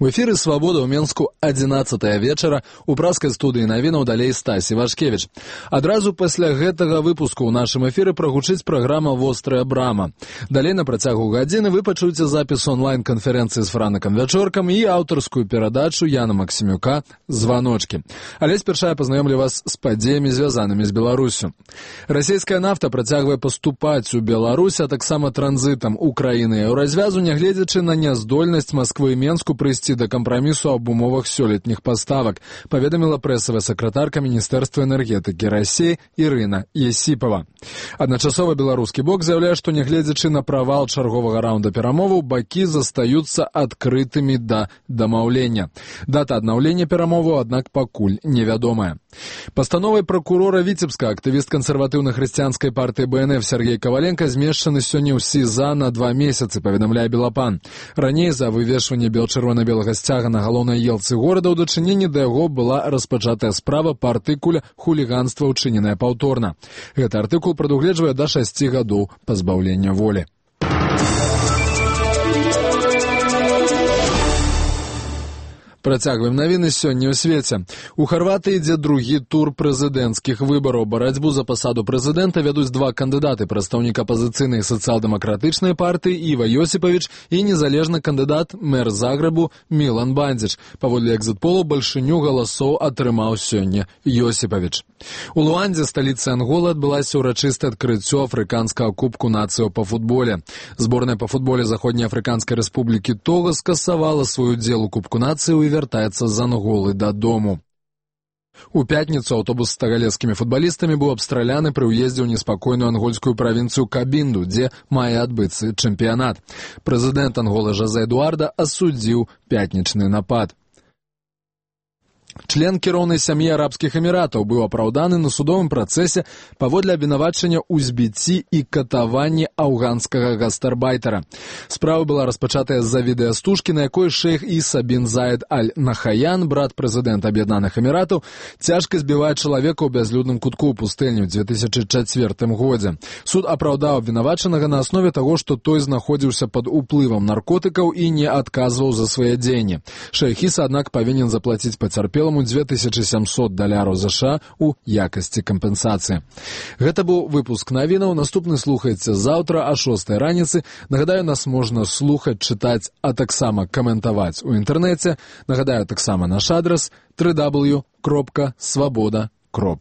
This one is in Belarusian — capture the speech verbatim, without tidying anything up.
У эфіры «Свабода» ў Менску адзінаццатая вечара, у праскай студыі навінаў далей Стасі Вашкевіч. Адразу пасля гэтага выпуску ў нашым эфіры прагучыць праграма «Вострая брама». Далей на працягу гадзіны вы пачуеце запіс онлайн-канферэнцыі з Франакам Вячоркам і аўтарскую перадачу Яна Максімюка «Званочкі». Але спярша я пазнаёмлю вас з падзеямі, звязанымі з Беларусю. Расійская нафта працягвае паступаць у Беларусь, а таксама транзітам у краіны еўразвязу, нягледзячы на няздольнасць Масквы і Менску прыйсці да кампрамісу аб умовах сёлетніх паставак, паведаміла прэсавая сакратарка Міністэрства энергетыкі Расіі Ірына Есіпава. Адначасова беларускі бок заяўляе, што нягледзячы на правал чарговага раунда перамоваў, бакі застаюцца адкрытымі да дамаўлення. Дата аднаўлення перамоваў, аднак, пакуль невядомая. Пастановай пракурора Віцебска актывіст кансерватыўна-хрысціянскай партыі Бэ Эн Эф Сергей Каваленка змешчаны сёння ў СІЗА на два месяцы, паведамляе Белапан. Раней за вывешванне бел-чырвона-белага сцяга на галоўнай елцы горада ў дачыненні да яго была распачатая справа па артыкуле «Хуліганства, учыненае паўторна». Гэты артыкул прадугледжвае да шасці гадоў пазбаўлення волі. Працягваем навіны сёння ў свеце. У Харватыі ідзе другі тур прэзідэнцкіх выбараў. Барацьбу за пасаду прэзідэнта вядуць два кандыдаты: прадстаўнік апазіцыйнай сацыял-дэмакратычнай партыі Іва Йосіпавіч і незалежны кандыдат мэр Загрэбу Мілан Бандзіч. Паводле экзіт-полу бальшыню галасоў атрымаў сёння Йосіпавіч. У Луандзе, сталіцы Анголы, адбылася ўрачыстае адкрыццё афрыканскага кубку нацыяў па футболе. Зборная па футболе Заходнеафрыканскай рэспублікі Тога скасавала свой удзел у кубку нацыяў і вяртаецца з Анголы дадому. У пятніцу аўтобус з тагалецкімі футбалістамі быў абстраляны пры ўездзе ў неспакойную ангольскую правінцыю Кабінду, дзе мае адбыцца чэмпіянат. Прэзідэнт Анголы Жозе Эдуарда асудзіў пятнічны напад. Член кіроўнай сям'і арабскіх эміратаў быў апраўданы на судовым працэсе паводле абвінавачання ў збіцці і катаванні афганскага гастарбайтера. Справа была распачатая з-за відэастужкі, на якой шэйх Іса бін Заед аль-Нахаян, брат прэзідэнта Аб'яднаных Эміратаў, цяжка збівае чалавека ў бязлюдным кутку ў пустэльні ў дзве тысячы чацвёртым годзе. Суд апраўдаў абвінавачанага на аснове таго, што той знаходзіўся пад уплывам наркотыкаў і не адказваў за свае дзеянні. Шэйх Іса, аднак, павінен заплаціць пацярпелым дзве тысячы сямсот даляраў США у якасці кампенсацыі. Гэта быў выпуск навінаў. Наступны слухайце заўтра а шостай раніцы. Нагадаю, нас можна слухаць, чытаць, а таксама каментаваць у інтэрнэце. Нагадаю таксама наш адрас дабл ю дабл ю дабл ю крапка свабода крапка